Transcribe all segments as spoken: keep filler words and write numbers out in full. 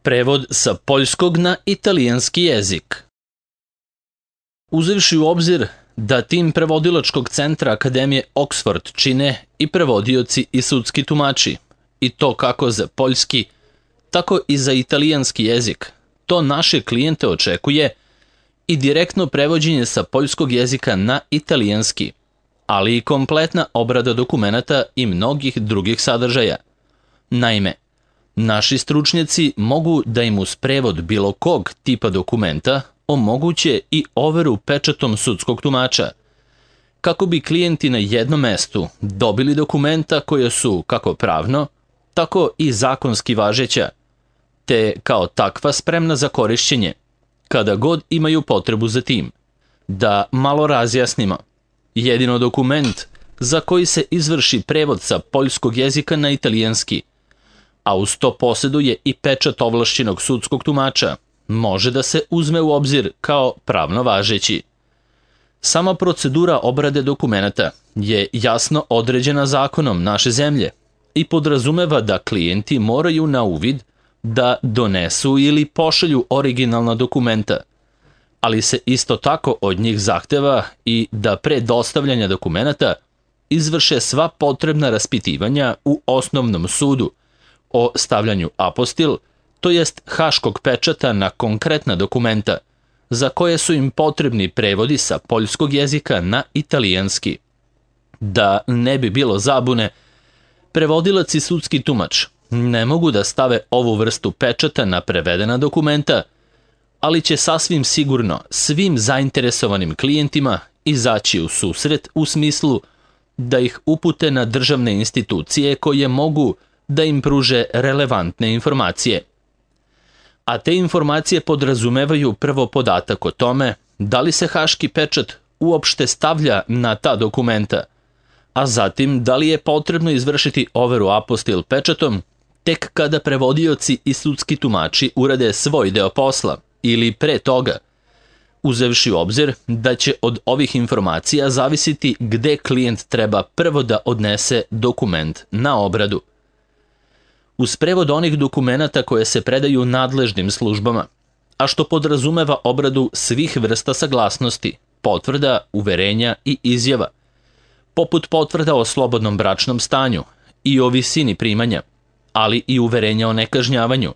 Prevod sa poljskog na italijanski jezik. Uzevši u obzir da tim prevodilačkog centra Akademije Oxford čine i prevodioci i sudski tumači, i to kako za poljski, tako i za italijanski jezik, to naše klijente očekuje i direktno prevođenje sa poljskog jezika na italijanski, ali i kompletna obrada dokumenata i mnogih drugih sadržaja. Naime, naši stručnjaci mogu da im uz prevod bilo kog tipa dokumenta omoguće i overu pečatom sudskog tumača, kako bi klijenti na jednom mestu dobili dokumenta koje su kako pravno, tako i zakonski važeća, te kao takva spremna za korišćenje, kada god imaju potrebu za tim. Da malo razjasnimo, jedino dokument za koji se izvrši prevod sa poljskog jezika na italijanski, a uz to posjeduje i pečat ovlašćenog sudskog tumača, može da se uzme u obzir kao pravno važeći. Sama procedura obrade dokumenata je jasno određena zakonom naše zemlje i podrazumeva da klijenti moraju na uvid da donesu ili pošalju originalna dokumenta, ali se isto tako od njih zahteva i da pre dostavljanja dokumenata izvrše sva potrebna raspitivanja u osnovnom sudu o stavljanju apostil, to jest haškog pečata na konkretna dokumenta, za koje su im potrebni prevodi sa poljskog jezika na italijanski. Da ne bi bilo zabune, prevodilac i sudski tumač ne mogu da stave ovu vrstu pečata na prevedena dokumenta, ali će sasvim sigurno svim zainteresovanim klijentima izaći u susret u smislu da ih upute na državne institucije koje mogu da im pruže relevantne informacije. A te informacije podrazumevaju prvo podatak o tome da li se haški pečat uopšte stavlja na ta dokumenta, a zatim da li je potrebno izvršiti overu apostil pečatom tek kada prevodioci i sudski tumači urade svoj deo posla ili pre toga, uzevši u obzir da će od ovih informacija zavisiti gde klijent treba prvo da odnese dokument na obradu. Uz prevod onih dokumenata koje se predaju nadležnim službama, a što podrazumeva obradu svih vrsta saglasnosti, potvrda, uverenja i izjava, poput potvrda o slobodnom bračnom stanju i o visini primanja, ali i uverenja o nekažnjavanju,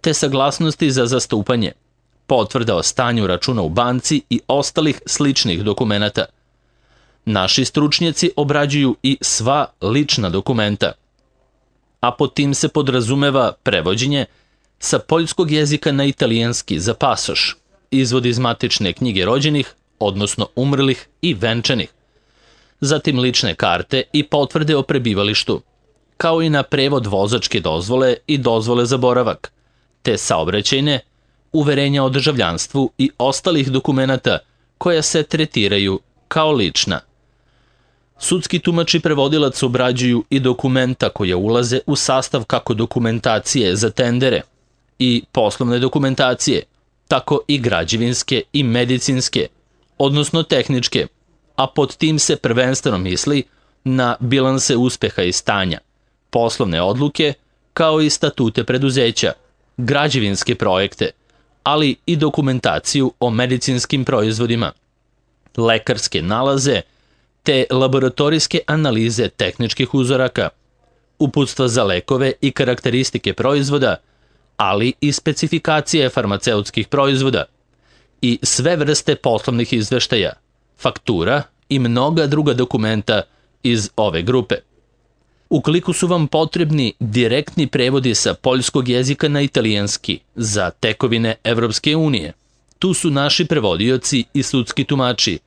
te saglasnosti za zastupanje, potvrda o stanju računa u banci i ostalih sličnih dokumenata. Naši stručnjaci obrađuju i sva lična dokumenta, a pod tim se podrazumeva prevođenje sa poljskog jezika na italijanski za pasoš, izvod iz matične knjige rođenih, odnosno umrlih i venčanih, zatim lične karte i potvrde o prebivalištu, kao i na prevod vozačke dozvole i dozvole za boravak, te saobraćajne, uverenja o državljanstvu i ostalih dokumenata koja se tretiraju kao lična. Sudski tumač i prevodilac obrađuju i dokumenta koja ulaze u sastav kako dokumentacije za tendere i poslovne dokumentacije, tako i građevinske i medicinske, odnosno tehničke, a pod tim se prvenstveno misli na bilanse uspeha i stanja, poslovne odluke, kao i statute preduzeća, građevinske projekte, ali i dokumentaciju o medicinskim proizvodima, lekarske nalaze, te laboratorijske analize tehničkih uzoraka, uputstva za lekove i karakteristike proizvoda, ali i specifikacije farmaceutskih proizvoda i sve vrste poslovnih izveštaja, faktura i mnoga druga dokumenta iz ove grupe. Ukoliko su vam potrebni direktni prevodi sa poljskog jezika na italijanski za tekovine Evropske unije, tu su naši prevodioci i sudski tumači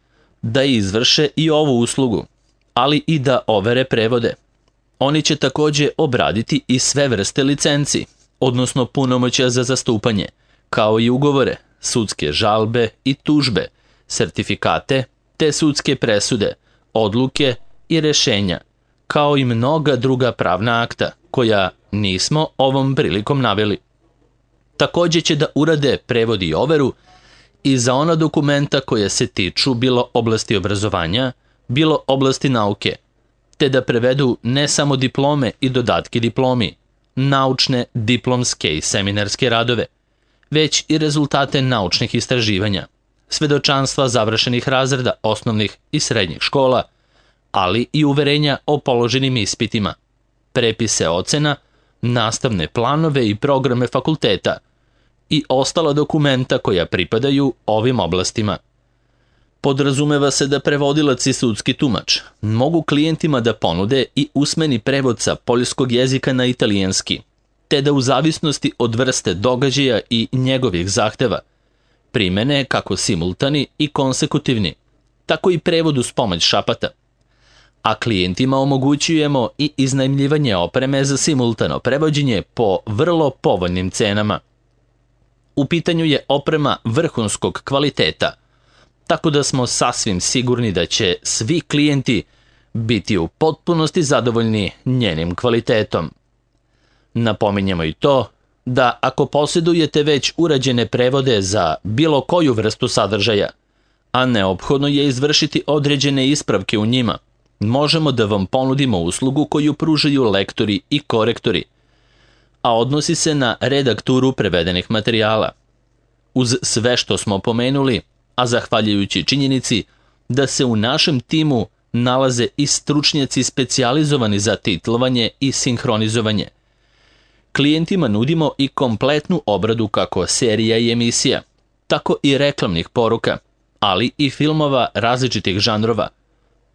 da izvrše i ovu uslugu, ali i da overe prevode. Oni će takođe obraditi i sve vrste licenci, odnosno punomoćja za zastupanje, kao i ugovore, sudske žalbe i tužbe, sertifikate, te sudske presude, odluke i rešenja, kao i mnoga druga pravna akta, koja nismo ovom prilikom naveli. Takođe će da urade prevod i overu i za ona dokumenta koje se tiču bilo oblasti obrazovanja, bilo oblasti nauke, te da prevedu ne samo diplome i dodatke diplomi, naučne, diplomske i seminarske radove, već i rezultate naučnih istraživanja, svedočanstva završenih razreda osnovnih i srednjih škola, ali i uverenja o položenim ispitima, prepise ocena, nastavne planove i programe fakulteta i ostala dokumenta koja pripadaju ovim oblastima. Podrazumeva se da prevodilac i sudski tumač mogu klijentima da ponude i usmeni prevod sa poljskog jezika na italijanski, te da u zavisnosti od vrste događaja i njegovih zahteva primene kako simultani i konsekutivni, tako i prevod uz pomoć šapata. A klijentima omogućujemo i iznajmljivanje opreme za simultano prevođenje po vrlo povoljnim cenama. U pitanju je oprema vrhunskog kvaliteta, tako da smo sasvim sigurni da će svi klijenti biti u potpunosti zadovoljni njenim kvalitetom. Napominjemo i to da ako posjedujete već urađene prevode za bilo koju vrstu sadržaja, a neophodno je izvršiti određene ispravke u njima, možemo da vam ponudimo uslugu koju pružaju lektori i korektori, a odnosi se na redakturu prevedenih materijala. Uz sve što smo pomenuli, a zahvaljujući činjenici da se u našem timu nalaze i stručnjaci specijalizovani za titlovanje i sinhronizovanje, klijentima nudimo i kompletnu obradu kako serija i emisija, tako i reklamnih poruka, ali i filmova različitih žanrova,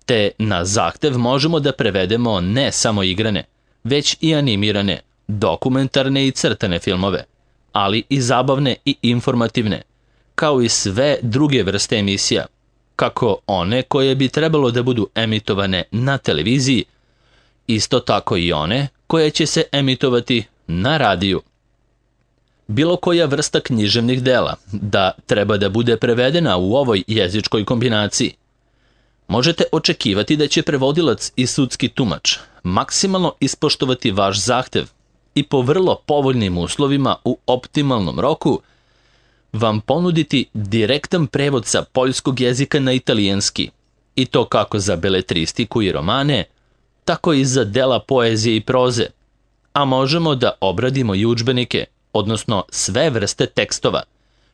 te na zahtev možemo da prevedemo ne samo igrane, već i animirane, dokumentarne i crtane filmove, ali i zabavne i informativne, kao i sve druge vrste emisija, kako one koje bi trebalo da budu emitovane na televiziji, isto tako i one koje će se emitovati na radiju. Bilo koja vrsta književnih dela da treba da bude prevedena u ovoj jezičkoj kombinaciji, možete očekivati da će prevodilac i sudski tumač maksimalno ispoštovati vaš zahtev i po vrlo povoljnim uslovima u optimalnom roku vam ponuditi direktan prevod sa poljskog jezika na italijanski, i to kako za beletristiku i romane, tako i za dela poezije i proze, a možemo da obradimo i udžbenike, odnosno sve vrste tekstova,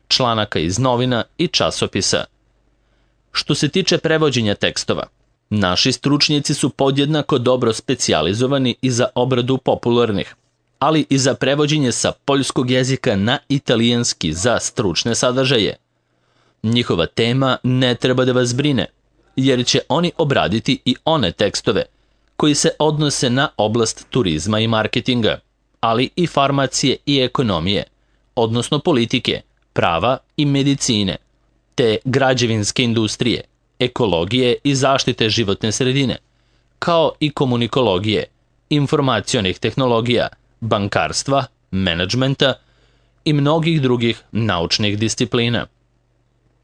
članaka iz novina i časopisa. Što se tiče prevođenja tekstova, naši stručnjaci su podjednako dobro specijalizovani i za obradu popularnih, ali i za prevođenje sa poljskog jezika na italijanski za stručne sadržaje. Njihova tema ne treba da vas brine, jer će oni obraditi i one tekstove koji se odnose na oblast turizma i marketinga, ali i farmacije i ekonomije, odnosno politike, prava i medicine, te građevinske industrije, ekologije i zaštite životne sredine, kao i komunikologije, informacionih tehnologija, bankarstva, menadžmenta i mnogih drugih naučnih disciplina.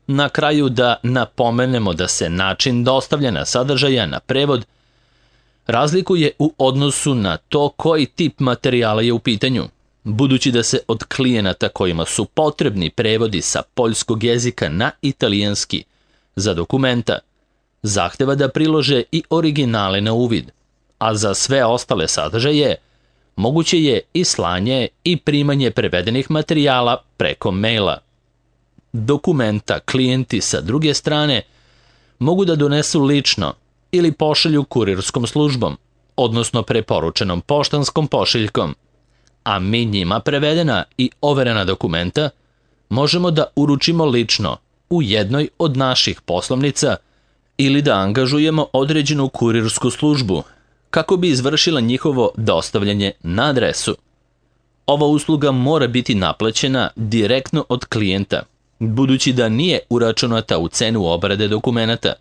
Na kraju da napomenemo da se način dostavljanja sadržaja na prevod razlikuje u odnosu na to koji tip materijala je u pitanju, budući da se od klijenata kojima su potrebni prevodi sa poljskog jezika na italijanski za dokumenta zahteva da prilože i originale na uvid, a za sve ostale sadržaje moguće je i slanje i primanje prevedenih materijala preko maila. Dokumenta klijenti sa druge strane mogu da donesu lično ili pošalju kurirskom službom, odnosno preporučenom poštanskom pošiljkom, a mi njima prevedena i overena dokumenta možemo da uručimo lično u jednoj od naših poslovnica ili da angažujemo određenu kurirsku službu kako bi izvršila njihovo dostavljanje na adresu. Ova usluga mora biti naplaćena direktno od klijenta, budući da nije uračunata u cenu obrade dokumenata,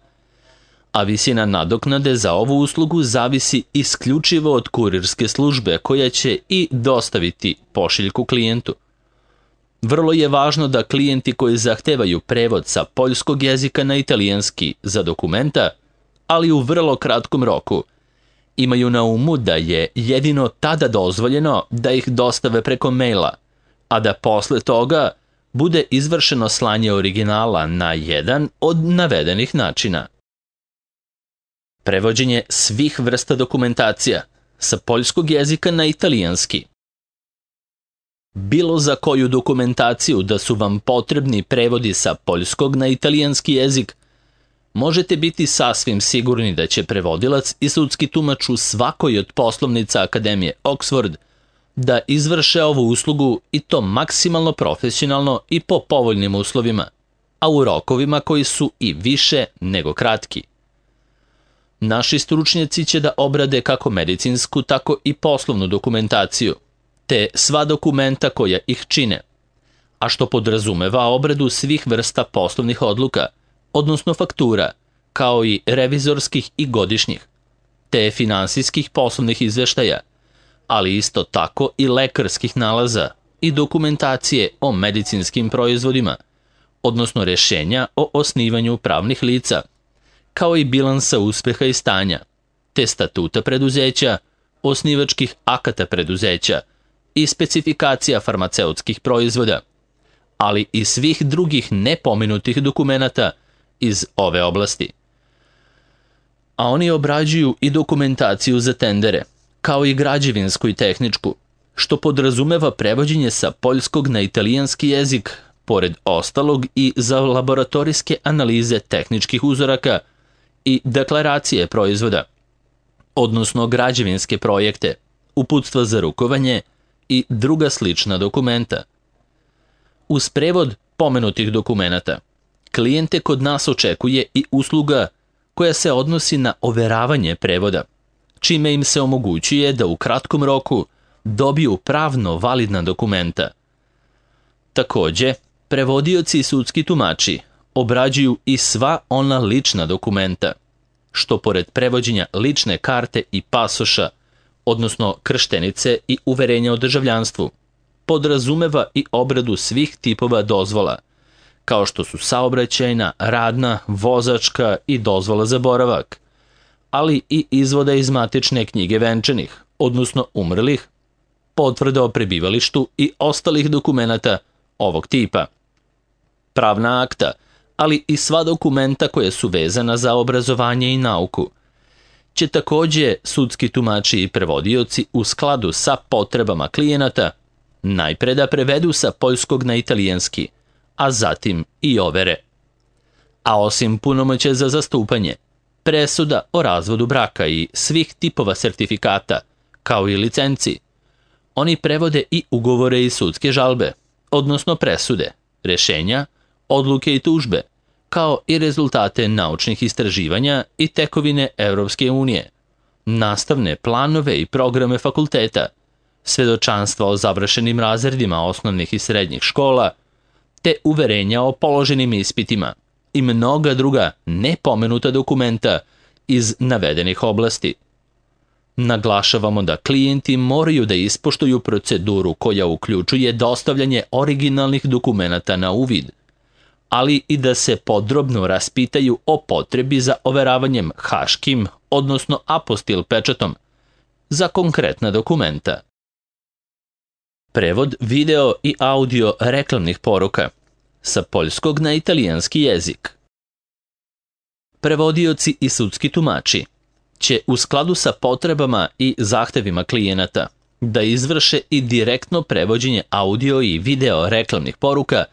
a visina nadoknade za ovu uslugu zavisi isključivo od kurirske službe koja će i dostaviti pošiljku klijentu. Vrlo je važno da klijenti koji zahtevaju prevod sa poljskog jezika na italijanski za dokumenta, ali u vrlo kratkom roku, imaju na umu da je jedino tada dozvoljeno da ih dostave preko maila, a da posle toga bude izvršeno slanje originala na jedan od navedenih načina. Prevođenje svih vrsta dokumentacija sa poljskog jezika na italijanski bilo za koju dokumentaciju da su vam potrebni prevodi sa poljskog na italijanski jezik, možete biti sasvim sigurni da će prevodilac i sudski tumač u svakoj od poslovnica Akademije Oxford da izvrše ovu uslugu i to maksimalno profesionalno i po povoljnim uslovima, a u rokovima koji su i više nego kratki. Naši stručnjaci će da obrade kako medicinsku, tako i poslovnu dokumentaciju, te sva dokumenta koja ih čine, a što podrazumeva obradu svih vrsta poslovnih odluka, odnosno faktura, kao i revizorskih i godišnjih, te finansijskih poslovnih izveštaja, ali isto tako i lekarskih nalaza i dokumentacije o medicinskim proizvodima, odnosno rešenja o osnivanju pravnih lica, kao i bilansa uspeha i stanja, te statuta preduzeća, osnivačkih akata preduzeća i specifikacija farmaceutskih proizvoda, ali i svih drugih nepomenutih dokumenata iz ove oblasti. A oni obrađuju i dokumentaciju za tendere, kao i građevinsku i tehničku, što podrazumeva prevođenje sa poljskog na italijanski jezik, pored ostalog i za laboratorijske analize tehničkih uzoraka i deklaracije proizvoda, odnosno građevinske projekte, uputstva za rukovanje i druga slična dokumenta. Uz prevod pomenutih dokumenata, klijente kod nas očekuje i usluga koja se odnosi na overavanje prevoda, čime im se omogućuje da u kratkom roku dobiju pravno validna dokumenta. Takođe, prevodioci i sudski tumači obrađuju i sva ona lična dokumenta, što pored prevođenja lične karte i pasoša, odnosno krštenice i uverenja o državljanstvu, podrazumeva i obradu svih tipova dozvola, kao što su saobraćajna, radna, vozačka i dozvola za boravak, ali i izvoda iz matične knjige venčanih, odnosno umrlih, potvrda o prebivalištu i ostalih dokumenata ovog tipa. Pravna akta, ali i sva dokumenta koja su vezana za obrazovanje i nauku, će takođe sudski tumači i prevodioci u skladu sa potrebama klijenata najpre da prevedu sa poljskog na italijanski, a zatim i overe. A osim punomoćja za zastupanje, presuda o razvodu braka i svih tipova sertifikata, kao i licenci, oni prevode i ugovore i sudske žalbe, odnosno presude, rešenja, odluke i tužbe, kao i rezultate naučnih istraživanja i tekovine Evropske unije, nastavne planove i programe fakulteta, svedočanstva o završenim razredima osnovnih i srednjih škola, te uverenja o položenim ispitima i mnoga druga nepomenuta dokumenta iz navedenih oblasti. Naglašavamo da klijenti moraju da ispoštuju proceduru koja uključuje dostavljanje originalnih dokumenata na uvid, ali i da se podrobno raspitaju o potrebi za overavanjem haškim, odnosno apostil pečatom, za konkretna dokumenta. Prevod video i audio reklamnih poruka sa poljskog na italijanski jezik. Prevodioci i sudski tumači će u skladu sa potrebama i zahtevima klijenata da izvrše i direktno prevođenje audio i video reklamnih poruka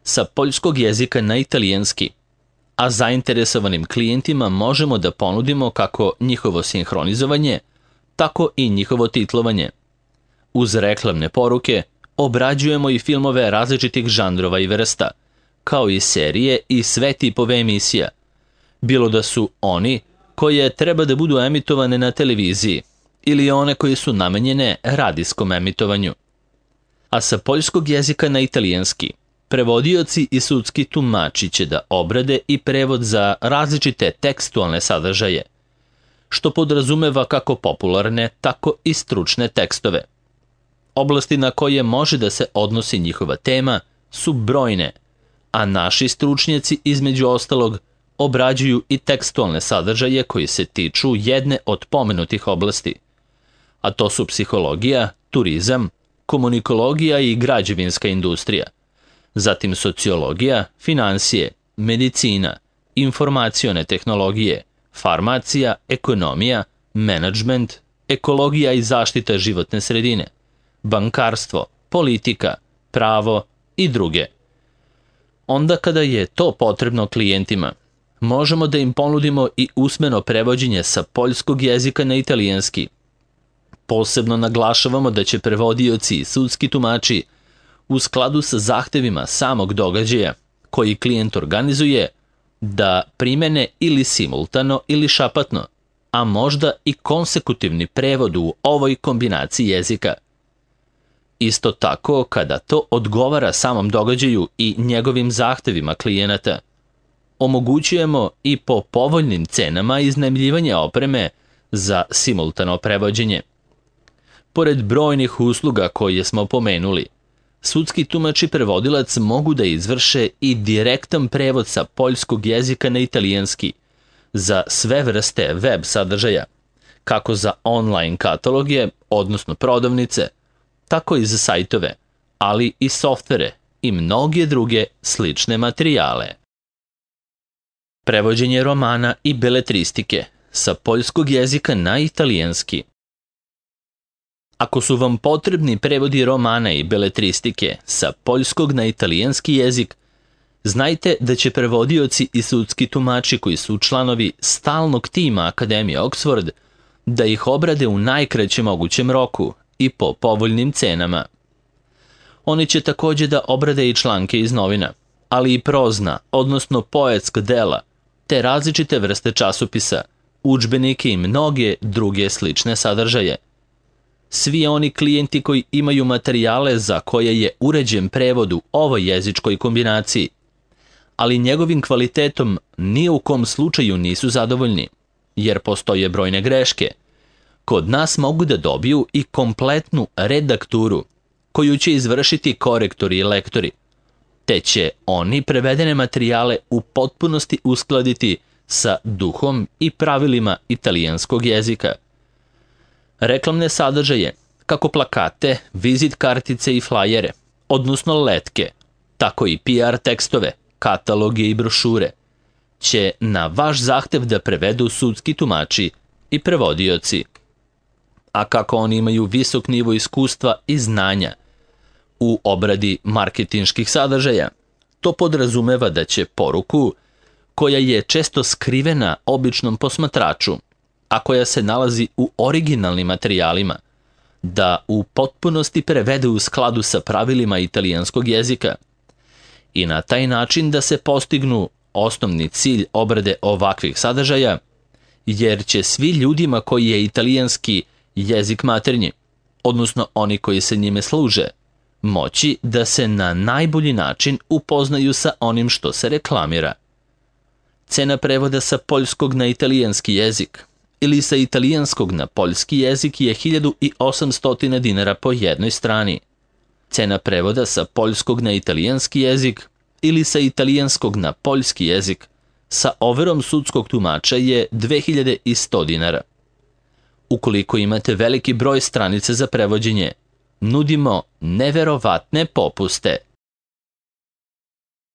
sa poljskog jezika na italijanski, a zainteresovanim klijentima možemo da ponudimo kako njihovo sinhronizovanje, tako i njihovo titlovanje. Uz reklamne poruke obrađujemo i filmove različitih žanrova i vrsta, kao i serije i sve tipove emisija, bilo da su oni koje treba da budu emitovane na televiziji ili one koje su namenjene radijskom emitovanju. A sa poljskog jezika na italijanski, prevodioci i sudski tumači će da obrade i prevod za različite tekstualne sadržaje, što podrazumeva kako popularne, tako i stručne tekstove. Oblasti na koje može da se odnosi njihova tema su brojne, a naši stručnjaci između ostalog obrađuju i tekstualne sadržaje koji se tiču jedne od pomenutih oblasti, a to su psihologija, turizam, komunikologija i građevinska industrija, zatim sociologija, finansije, medicina, informacione tehnologije, farmacija, ekonomija, menadžment, ekologija i zaštita životne sredine, bankarstvo, politika, pravo i druge. Onda kada je to potrebno klijentima, možemo da im ponudimo i usmeno prevođenje sa poljskog jezika na italijanski. Posebno naglašavamo da će prevodioci i sudski tumači u skladu sa zahtevima samog događaja koji klijent organizuje da primene ili simultano ili šapatno, a možda i konsekutivni prevod u ovoj kombinaciji jezika. Isto tako, kada to odgovara samom događaju i njegovim zahtevima klijenata, omogućujemo i po povoljnim cenama iznajmljivanje opreme za simultano prevođenje. Pored brojnih usluga koje smo pomenuli, sudski tumač i prevodilac mogu da izvrše i direktan prevod sa poljskog jezika na italijanski za sve vrste web sadržaja, kako za online kataloge, odnosno prodavnice, tako i za sajtove, ali i softvere i mnoge druge slične materijale. Prevođenje romana i beletristike sa poljskog jezika na italijanski. Ako su vam potrebni prevodi romana i beletristike sa poljskog na italijanski jezik, znajte da će prevodioci i sudski tumači koji su članovi stalnog tima Akademije Oxford da ih obrade u najkraćem mogućem roku i po povoljnim cenama. Oni će također da obrade i članke iz novina, ali i prozna, odnosno poetska dela, te različite vrste časopisa, udžbenike i mnoge druge slične sadržaje. Svi oni klijenti koji imaju materijale za koje je uređen prevod u ovoj jezičkoj kombinaciji, ali njegovim kvalitetom ni u kom slučaju nisu zadovoljni, jer postoje brojne greške, kod nas mogu da dobiju i kompletnu redakturu koju će izvršiti korektori i lektori, te će oni prevedene materijale u potpunosti uskladiti sa duhom i pravilima italijanskog jezika. Reklamne sadržaje, kako plakate, vizit kartice i flajere, odnosno letke, tako i P R tekstove, kataloge i brošure, će na vaš zahtev da prevedu sudski tumači i prevodioci. A kako oni imaju visok nivo iskustva i znanja u obradi marketinških sadržaja, to podrazumeva da će poruku, koja je često skrivena običnom posmatraču, a koja se nalazi u originalnim materijalima, da u potpunosti prevede u skladu sa pravilima italijanskog jezika i na taj način da se postignu osnovni cilj obrade ovakvih sadržaja, jer će svi ljudima koji je italijanski jezik maternji, odnosno oni koji se njime služe, moći da se na najbolji način upoznaju sa onim što se reklamira. Cena prevoda sa poljskog na italijanski jezik ili sa italijanskog na poljski jezik je hiljadu osamsto dinara po jednoj strani. Cena prevoda sa poljskog na italijanski jezik ili sa italijanskog na poljski jezik sa overom sudskog tumača je dve hiljade sto dinara. Ukoliko imate veliki broj stranice za prevođenje, nudimo neverovatne popuste.